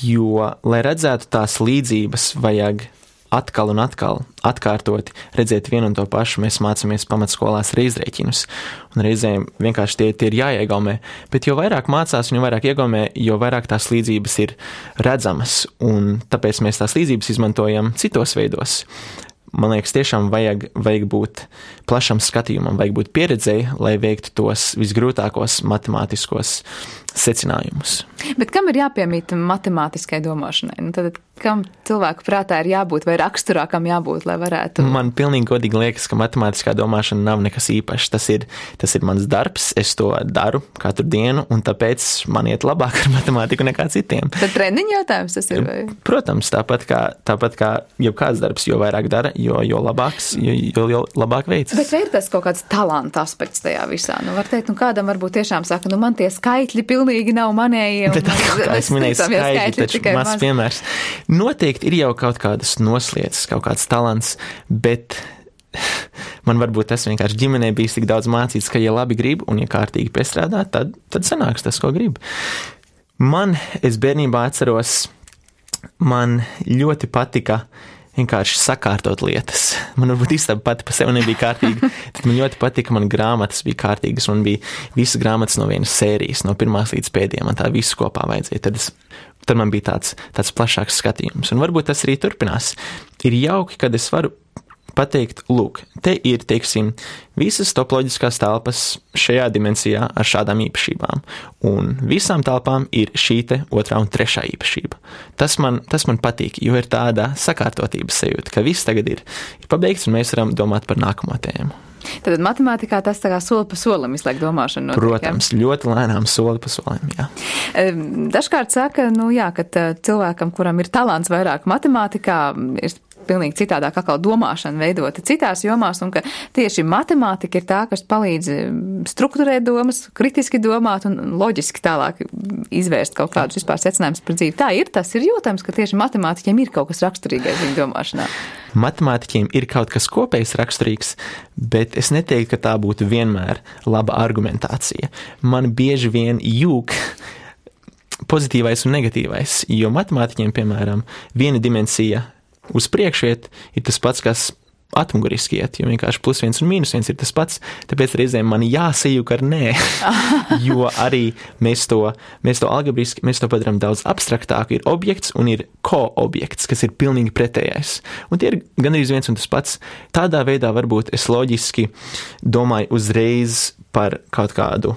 [SPEAKER 1] jo, lai redzētu tās līdzības, vajag atkal un atkal atkārtoti redzēt vienu un to pašu. Mēs mācāmies pamatskolās reizrēķinus, un reizēm vienkārši tie ir jāiegaumē. Bet jo vairāk mācās un jo vairāk iegaumē, jo vairāk tās līdzības ir redzamas, un tāpēc mēs tās līdzības izmantojam citos veidos. Man liekas, tiešām vajag būt plašam skatījumam, vajag būt pieredzēji, lai veiktu tos visgrūtākos matemātiskos secinājumus.
[SPEAKER 2] Bet kam ir jāpiemīt matemātiskai domāšanai? Tad kam cilvēku prātā ir jābūt vai raksturā kam jābūt, lai varētu?
[SPEAKER 1] Man pilnīgi godīgi liekas, ka matemātiskā domāšana nav nekas īpašs. Tas ir mans darbs, es to daru katru dienu, un tāpēc man iet labāk ar matemātiku nekā citiem.
[SPEAKER 2] Tad treniņa jautājums tas ir? Vai?
[SPEAKER 1] Protams, tāpat kā jebkāds darbs, jo vairāk dara, jo labāks, jo labāk veids.
[SPEAKER 2] Bet vai ir tas kaut kāds talanta aspekts tajā visā? Var teikt, kādam varbūt tiešām saka, man tie skaitļi pilnīgi nav manējie.
[SPEAKER 1] Bet kā es minēju, skaitļi taču mazs piemērs. Noteikti ir jau kaut kādas noslietas, kaut kāds talants, bet man varbūt tas vienkārši ģimenē bijis tik daudz mācīts, ka ja labi grib un ja kārtīgi piestrādā, tad sanāks tas, ko grib. Es bērnībā atceros, man ļoti patika vienkārši sakārtot lietas. Man varbūt istaba pati pa sevi nebija kārtīga, tad man ļoti patika, man grāmatas bija kārtīgas, man bija visas grāmatas no vienas sērijas, no pirmās līdz pēdējām, man tā visu kopā vajadzēja. Tad man bija tāds plašāks skatījums, un varbūt tas arī turpinās. Ir jauki, kad es varu pateikt, lūk, te ir, teiksim, visas topoloģiskās telpas šajā dimensijā ar šādām īpašībām, un visām telpām ir šī te 2. un 3. īpašība. Tas man patīk, jo ir tāda sakārtotības sajūta, ka viss tagad ir pabeigts, un mēs varam domāt par nākamo tēmu.
[SPEAKER 2] Tad matemātikā tas tā kā soli pa solim izliek domāšanu notiek.
[SPEAKER 1] Protams, ļoti lēnām soli pa solim, jā.
[SPEAKER 2] Dažkārt saka, ka cilvēkam, kuram ir talants vairāk matemātikā, ir pilnīgi citādāk atkal domāšana veidota citās jomās, un ka tieši matemātika ir tā, kas palīdz strukturēt domas, kritiski domāt un loģiski tālāk izvērst kaut kādus vispār secinājumus par dzīvi. Tā ir, tas ir jūtams, ka tieši matemātiķiem ir kaut kas raksturīgais viņa domāšanā.
[SPEAKER 1] Matemātiķiem ir kaut kas kopējs raksturīgs, bet es neteiktu, ka tā būtu vienmēr laba argumentācija. Man bieži vien jūg pozitīvais un negatīvais, jo matemātiķiem, piemēram, viena dimensija uz priekšu iet ir tas pats, kas atmuguriski iet, jo vienkārši +1 un -1 ir tas pats, tāpēc reizēm man jāsajūg ar nē, jo arī mēs to algebriski, mēs to padaram daudz abstraktāku, ir objekts un ir ko-objekts, kas ir pilnīgi pretējais. Un tie ir gandrīz viens un tas pats. Tādā veidā varbūt es loģiski domāju uzreiz par kaut kādu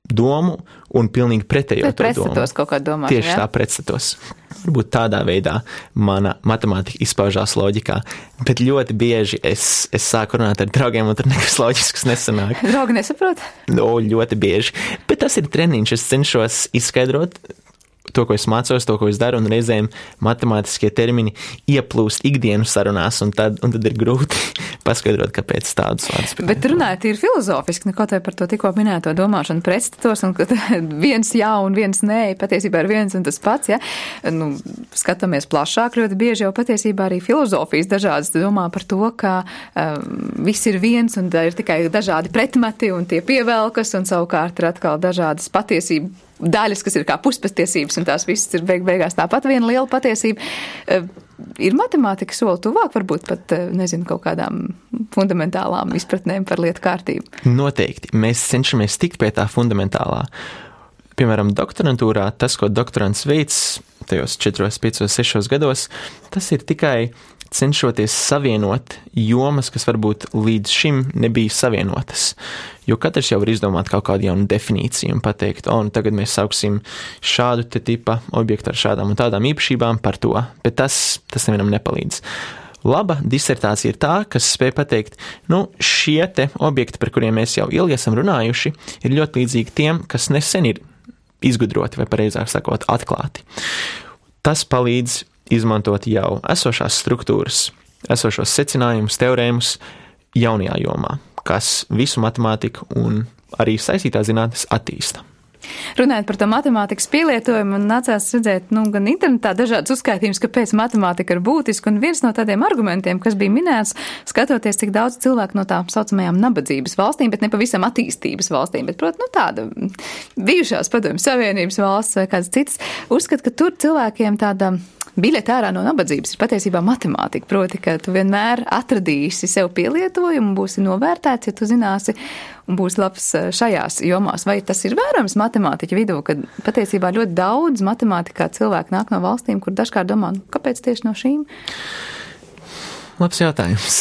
[SPEAKER 1] domu un pilnīgi pretējo to domu.
[SPEAKER 2] Pretstatos kaut kā domāt,
[SPEAKER 1] tieši tā pretstatos. Varbūt tādā veidā mana matemātika izpaužās loģikā, bet ļoti bieži es sāku runāt ar draugiem, un tur nekas loģisks nesanāk.
[SPEAKER 2] Draugi nesaprot?
[SPEAKER 1] Ļoti bieži. Bet tas ir treniņš, es cenšos izskaidrot to, ko es mācos, to, ko es daru, un reizēm matemātiskie termini ieplūst ikdienas sarunās, un tad ir grūti paskaidrot, kāpēc tādus vārdus.
[SPEAKER 2] Bet runājot ir filozofiski, kaut vai par to tikko minēto domāšanu pretstatos, un ka viens jā un viens nē, patiesībā ir viens un tas pats, ja? Nu, skatāmies plašāk, ļoti bieži jau patiesībā arī filozofijas dažādas domā par to, ka viss ir viens, un ir tikai dažādi pretmeti, un tie pievelkas, un savukārt ir atkal dažādas patiesība daļas, kas ir kā puspatiesības, un tās visas ir beigās tāpat viena liela patiesība. Ir matemātika soli tuvāk, varbūt pat, nezinu, kaut kādām fundamentālām izpratnēm par lietu kārtību?
[SPEAKER 1] Noteikti. Mēs cenšamies tikt pie tā fundamentālā. Piemēram, doktorantūrā, tas, ko doktorants veids tajos 4, 5, 6 gados, tas ir tikai cenšoties savienot jomas, kas varbūt līdz šim nebija savienotas. Jo katrs jau var izdomāt kaut kādu jaunu definīciju un pateikt, nu tagad mēs sauksim šādu te tipa objektu ar šādām un tādām īpašībām par to, bet tas nevienam nepalīdz. Laba disertācija ir tā, kas spēj pateikt, šie te objekti, par kuriem mēs jau ilgi esam runājuši, ir ļoti līdzīgi tiem, kas nesen ir izgudroti vai pareizāk sakot atklāti. Tas palīdz izmantot jau esošās struktūras, esošos secinājumus, teorēmus jaunajā jomā, kas visu matemātiku un arī saistītās zinātnes attīsta.
[SPEAKER 2] Runājot par to matemātikas pielietojumu, man nācās redzēt, gan internetā dažādas uzskaitījumus, kāpēc matemātika ir būtiska, un viens no tādiem argumentiem, kas bija minēts, skatoties, cik daudz cilvēku no tā saucamajām nabadzības valstīm, bet ne pavisam attīstības valstīm, bet, protams, tāda bijušās Padomju Savienības valsts vai kādas citas, uzskat, ka tur cilvēkiem tāda biļete ārā no nabadzības ir patiesībā matemātika, proti, ka tu vienmēr atradīsi sev pielietojumu, būsi novērtēts, ja tu zināsi un būs labs šajās jomās. Vai tas ir vērams matemātiķu vidū, ka patiesībā ļoti daudz matemātikā cilvēki nāk no valstīm, kur dažkārt domā, kāpēc tieši no šīm?
[SPEAKER 1] Labs jautājums.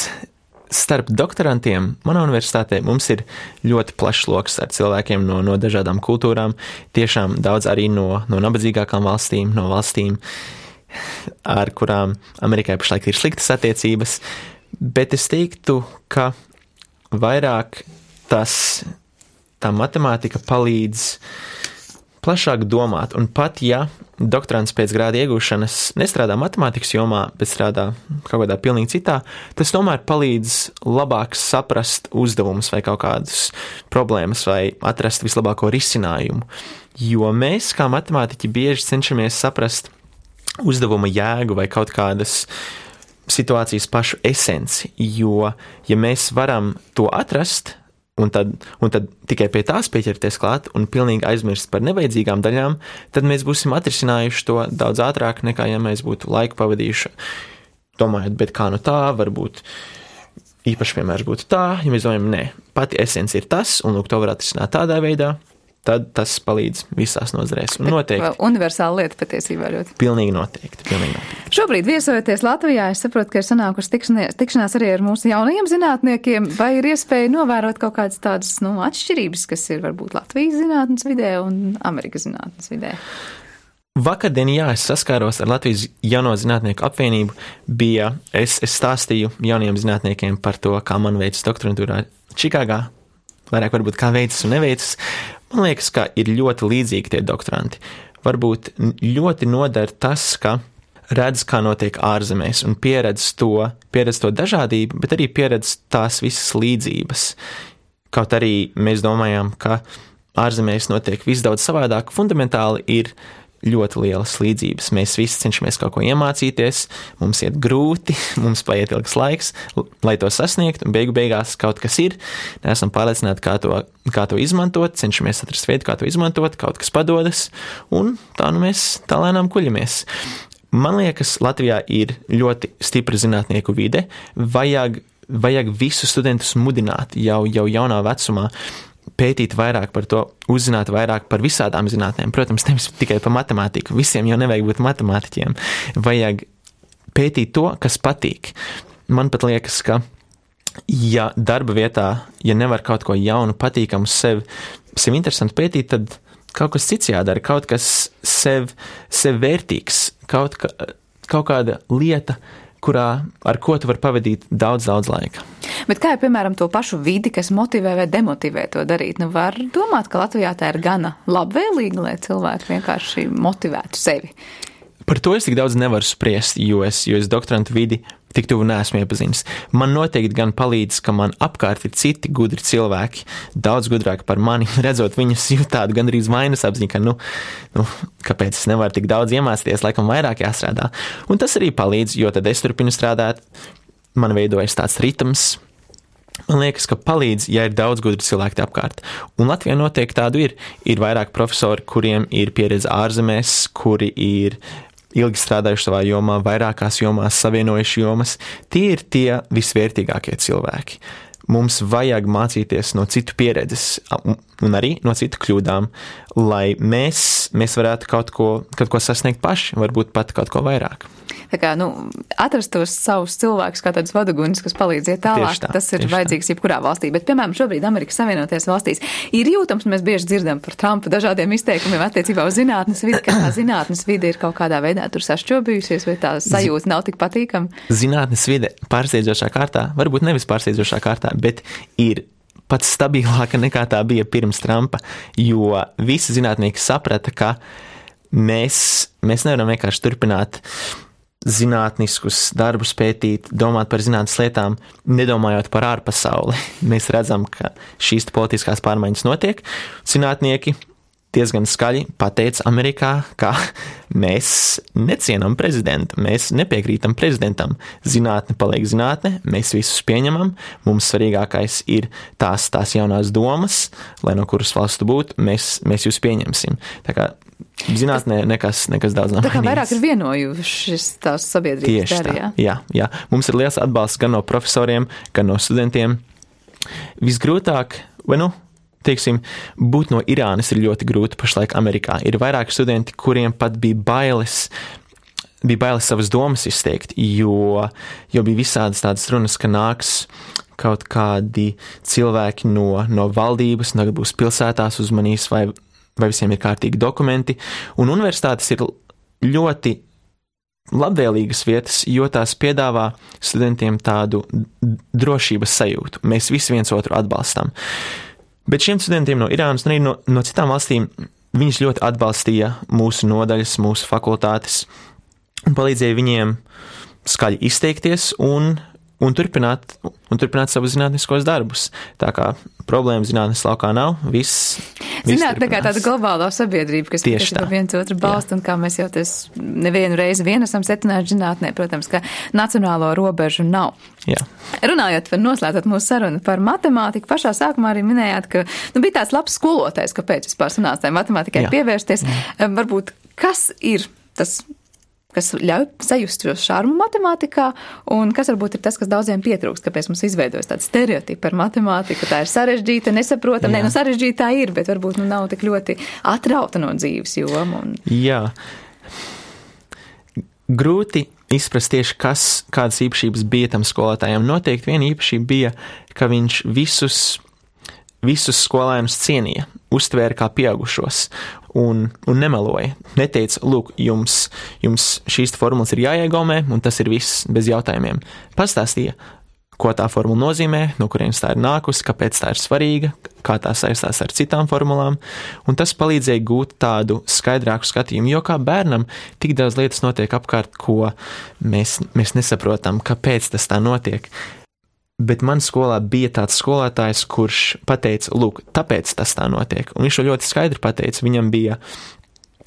[SPEAKER 1] Starp doktorantiem manā universitātē mums ir ļoti plašs loks ar cilvēkiem no dažādām kultūrām, tiešām daudz arī no nabadzīgākām valstīm, no valstīm, ar kurām Amerikai pašlaik ir sliktas attiecības, bet es teiktu, ka vairāk tā matemātika palīdz plašāk domāt, un pat ja doktorants pēc grāda iegūšanas nestrādā matemātikas jomā, bet strādā kaut kādā pilnīgi citā, tas tomēr palīdz labāk saprast uzdevumus vai kaut kādas problēmas vai atrast vislabāko risinājumu, jo mēs kā matemātiķi bieži cenšamies saprast uzdevuma jēgu vai kaut kādas situācijas pašu esenci, jo ja mēs varam to atrast, un tad tikai pie tās pieķerties klāt un pilnīgi aizmirst par nevajadzīgām daļām, tad mēs būsim atrisinājuši to daudz ātrāk nekā, ja mēs būtu laiku pavadījuši domājot, bet kā no tā, varbūt īpaši piemērs būtu tā, ja mēs domājam, nē, pati esence ir tas, un lūk, to var atrisināt tādā veidā, tad tas palīdz visās nozarēs. Un noteikti.
[SPEAKER 2] Universāla lieta patiesībā ļoti.
[SPEAKER 1] Pilnīgi noteikti.
[SPEAKER 2] Šobrīd viesojoties Latvijā, es saprotu, ka ir sanākusi tikšanās arī ar mūsu jaunajiem zinātniekiem. Vai ir iespēja novērot kaut kādas tādas atšķirības, kas ir varbūt Latvijas zinātnes vidē un Amerikas zinātnes vidē?
[SPEAKER 1] Vakardien, es saskāros ar Latvijas jauno zinātnieku apvienību. Es stāstīju jaunajiem zinātniekiem par to, kā man veicas doktorantūrā Čikāgā. Vairāk varbūt kā veicas un neveicas. Man liekas, ka ir ļoti līdzīgi tie doktoranti. Varbūt ļoti nodara tas, ka redz, kā notiek ārzemēs un pieredz to dažādību, bet arī pieredz tās visas līdzības. Kaut arī mēs domājam, ka ārzemēs notiek viss daudz savādāk, fundamentāli ir ļoti lielas līdzības. Mēs visi cenšamies kaut ko iemācīties, mums iet grūti, mums paiet ilgs laiks, lai to sasniegt, un beigās kaut kas ir. Neesam pārliecināti, kā to izmantot, cenšamies atrast veidu, kā to izmantot, kaut kas padodas, un tā mēs tā lēnām kuļamies. Man liekas, Latvijā ir ļoti stipra zinātnieku vide, vajag visus studentus mudināt jau jaunā vecumā, pētīt vairāk par to, uzzināt vairāk par visādām zinātnēm. Protams, nevis tikai par matemātiku. Visiem jau nevajag būt matemātiķiem. Vajag pētīt to, kas patīk. Man pat liekas, ka ja darba vietā, ja nevar kaut ko jaunu, patīkamu, sev interesantu pētīt, tad kaut kas cits jādara, kaut kas sev vērtīgs, kaut kāda lieta, ar ko tu vari pavadīt daudz laika.
[SPEAKER 2] Bet kā ir, piemēram, to pašu vidi, kas motivē vai demotivē to darīt? Var domāt, ka Latvijā tā ir gana labvēlīga, lai cilvēki vienkārši motivētu sevi.
[SPEAKER 1] Par to es tik daudz nevaru spriest, jo es doktorantu vidi tik tuvu neesmu iepazinis. Man noteikti gan palīdz, ka man apkārt ir citi gudri cilvēki, daudz gudrāki par mani, redzot viņus jūt tādu gandrīz vainas apziņu, ka kāpēc es nevaru tik daudz iemācīties, laikam vairāk jāstrādā. Un tas arī palīdz, jo tad es turpinu strādāt, man veidojas tāds ritms. Man liekas, ka palīdz, ja ir daudz gudri cilvēki apkārt. Un Latvijā noteikti tādu ir. Ir vairāk profesori, kuriem ir pieredze ārzemēs, kuri ir ilgi strādājuši savā jomā, vairākās jomās, savienojuši jomas. Tie ir tie visvērtīgākie cilvēki. Mums vajag mācīties no citu pieredzes un arī no citu kļūdām, lai mēs varētu kaut ko sasniegt paši, varbūt pat kaut ko vairāk.
[SPEAKER 2] Tā kā, atrast tos savus cilvēkus kā tādus vaduguņus, kas palīdz iet tālāk, tas ir vajadzīgs jebkurā valstī. Bet, piemēram, šobrīd Amerikas Savienotajās valstīs ir jūtams, mēs bieži dzirdam par Trumpa dažādiem izteikumiem attiecībā uz zinātnes vidi, ka tā zinātnes vide ir kaut kādā veidā tur sašķobījusies, vai tā sajūta nav tik patīkama.
[SPEAKER 1] Zinātnes vide pārsteidzošā kārtā, varbūt nevis pārsteidzošā kārtā, bet ir pats stabilāka nekā tā bija pirms Trumpa, jo visi zinātnieki saprata, ka mēs nevaram vienkārši turpināt zinātniskus darbus pētīt, domāt par zinātnes lietām, nedomājot par ārpasauli. Mēs redzam, ka šīs politiskās pārmaiņas notiek. Zinātnieki diezgan skaļi pateica Amerikā, ka mēs necienam prezidentu, mēs nepiekrītam prezidentam. Zinātne paliek zinātne, mēs visus pieņemam, mums svarīgākais ir tās jaunās domas, lai no kuras valsts tu būtu, mēs jūs pieņemsim. Tā kā zinātnē nekas daudz nav mainījies.
[SPEAKER 2] Tā kā vairāk ir vienojušas tās sabiedrības darījā.
[SPEAKER 1] Jā. Mums ir liels atbalsts gan no profesoriem, gan no studentiem. Visgrūtāk, teiksim, būt no Irānas ir ļoti grūti pašlaik Amerikā. Ir vairāki studenti, kuriem pat bija bailes savas domas izteikt, jo bija visādas tādas runas, ka nāks kaut kādi cilvēki no valdības, tagad būs pilsētās uzmanīs, vai visiem ir kārtīgi dokumenti. Un universitātes ir ļoti labvēlīgas vietas, jo tās piedāvā studentiem tādu drošības sajūtu. Mēs visi viens otru atbalstam. Bet šiem studentiem no Irānas un arī no citām valstīm viņus ļoti atbalstīja mūsu nodaļas, mūsu fakultātes un palīdzēja viņiem skaļi izteikties un turpināt savus zinātniskos darbus. Tā kā problēma zinātnes laukā nav, viss
[SPEAKER 2] Zinātne kā tāda globālā sabiedrība, kas viens otru balsta, un kā mēs jau nevienu reizi esam secinājuši zinātnē, protams, ka nacionālo robežu nav.
[SPEAKER 1] Jā.
[SPEAKER 2] Runājot par noslēdzot mūsu sarunu par matemātiku, pašā sākumā arī minējāt, ka bija tāds labs skolotājs, kāpēc vispār sanāca matemātikai pievērsties. Varbūt, kas ir tas, kas ļauj sajust šo šarmu matemātikā, un kas varbūt ir tas, kas daudziem pietrūkst, kāpēc mums izveidojas tāds stereotipi par matemātiku, tā ir sarežģīta, nesaprotama, sarežģītā ir, bet varbūt nav tik ļoti atrauta no dzīves joma.
[SPEAKER 1] Jā. Grūti izprast tieši, kādas īpašības bija tam skolotājiem. Noteikti viena īpašība bija, ka viņš visus skolēnus cienīja, uztvēra kā pieaugušos un nemeloja. Neteica, lūk, jums šīs formulas ir jāiegaumē, un tas ir viss bez jautājumiem. Pastāstīja, ko tā formula nozīmē, no kurienes tā ir nākusi, kāpēc tā ir svarīga, kā tā saistās ar citām formulām, un tas palīdzēja gūt tādu skaidrāku skatījumu, jo kā bērnam tik daudz lietas notiek apkārt, ko mēs nesaprotam, kāpēc tas tā notiek. Bet man skolā bija tāds skolotājs, kurš pateica, lūk, tāpēc tas tā notiek. Un viņš to ļoti skaidri pateica. Viņam bija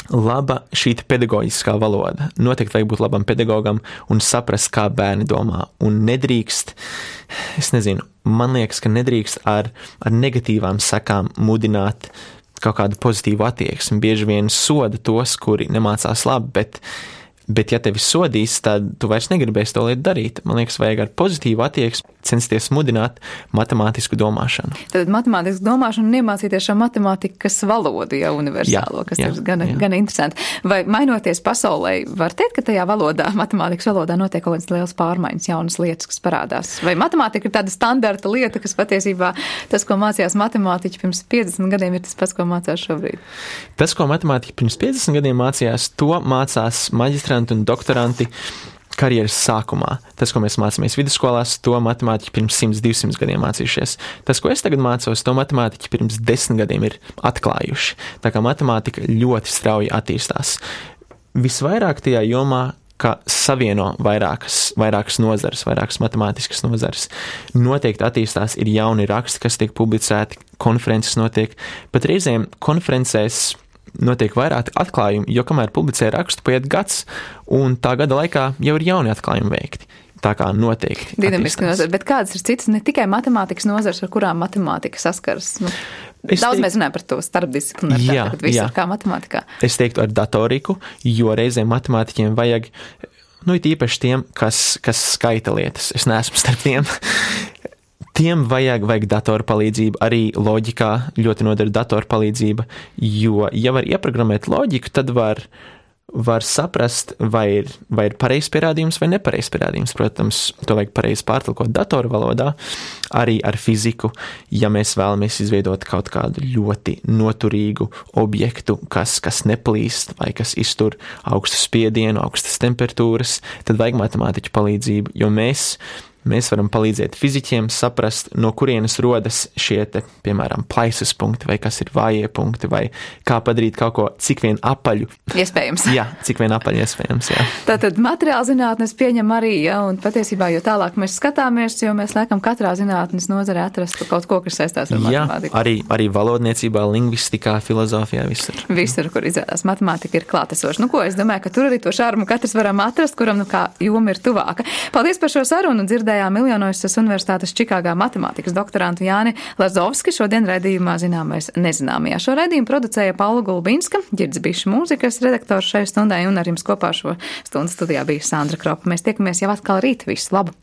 [SPEAKER 1] laba šī pedagoģiskā valoda. Noteikti vajag būt labam pedagogam un saprast, kā bērni domā. Un nedrīkst, man liekas, ka nedrīkst ar negatīvām sekām mudināt kaut kādu pozitīvu attieksmi. Bieži vien soda tos, kuri nemācās labi, bet ja tevi sodīs, tad tu vairs negribēsi to lietu darīt. Man liekas, vajag ar pozitīvu attieksmi censties mudināt matemātisku domāšanu.
[SPEAKER 2] Tad matemātisku domāšanu un iemācīties šo matemātikas valodu jau universālo, kas ir gan interesanti. Vai mainoties pasaulē, var teikt, ka tajā valodā, matemātikas valodā notiek kaut kādas liels pārmaiņas, jaunas lietas, kas parādās? Vai matemātika ir tāda standarta lieta, kas patiesībā tas, ko mācījās matemātiķi pirms 50 gadiem, ir tas pats, ko mācās šobrīd? Tas, ko matemātiķi pirms 50 gadiem mācījās, to mācās maģistranti un doktoranti karjeras sākumā. Tas, ko mēs mācāmies vidusskolās, to matemātiķi pirms 100-200 gadiem mācījušies. Tas, ko es tagad mācos, to matemātiķi pirms 10 gadiem ir atklājuši. Tā kā matemātika ļoti strauji attīstās. Visvairāk tajā jomā, ka savieno vairākas nozares, vairākas matemātiskas nozares. Noteikti attīstās, ir jauni raksti, kas tiek publicēti, konferences notiek, pat reizēm konferencēs notiek vairāk atklājumi, jo kamēr publicē rakstu, paiet gads, un tā gada laikā jau ir jauni atklājumi veikti. Tā kā noteikti. Dinamiski nozars, bet kādas ir citas, ne tikai matemātikas nozars, ar kurām matemātika saskars? Daudz mēs runājam par to starpdisciplināru, bet viss ir kā matemātikā.
[SPEAKER 1] Es teiktu ar datoriku, jo reizēm matemātiķiem vajag, it īpaši tiem, kas skaita lietas. Es neesmu starp tiem. Tiem vajag datoru palīdzību, arī loģikā ļoti nodara datoru palīdzība, jo, ja var ieprogrammēt loģiku, tad var saprast, vai ir pareizs pierādījums vai nepareizs pierādījums. Protams, to vajag pareizi pārtulkot datoru valodā, arī ar fiziku, ja mēs vēlamies izveidot kaut kādu ļoti noturīgu objektu, kas neplīst vai kas iztur augstu spiedienu, augstas temperatūras, tad vajag matemātiķu palīdzību, jo mēs varam palīdzēt fiziķiem saprast, no kurienes rodas šie piemēram, plaisas punkti, vai kas ir vājie punkti, vai kā padarīt kaut ko cik vien apaļu.
[SPEAKER 2] Iespējams.
[SPEAKER 1] Jā, cik vien apaļu iespējams, jā.
[SPEAKER 2] Tātad materiāla zinātnes pieņem arī, un patiesībā, jo tālāk mēs skatāmies, jo mēs laikam katrā zinātnes nozarē atrastu kaut ko, kas saistās ar matemātiku.
[SPEAKER 1] Jā, arī valodniecībā, lingvistikā, filozofijā, visur.
[SPEAKER 2] Visur, kur izrādās matemātika ir klātesoša. Ko, es domāju, ka tur arī to šarmu katrs varam atrast, kuram, kā joma ir tuvāka. Paldies par šo sarunu, dzirdējām Ilinoisas Universitātes Čikāgā matemātikas doktorantu Jāni Lazovski, šodien raidījumā Zināmais nezināmajā. Šo raidījumu producēja Paula Gulbinska, Ģirds Bišs mūzikas redaktors šai stundai, un ar jums kopā šo stundu studijā bija Sandra Kropa. Mēs tiekamies jau atkal rīt. Visu labu!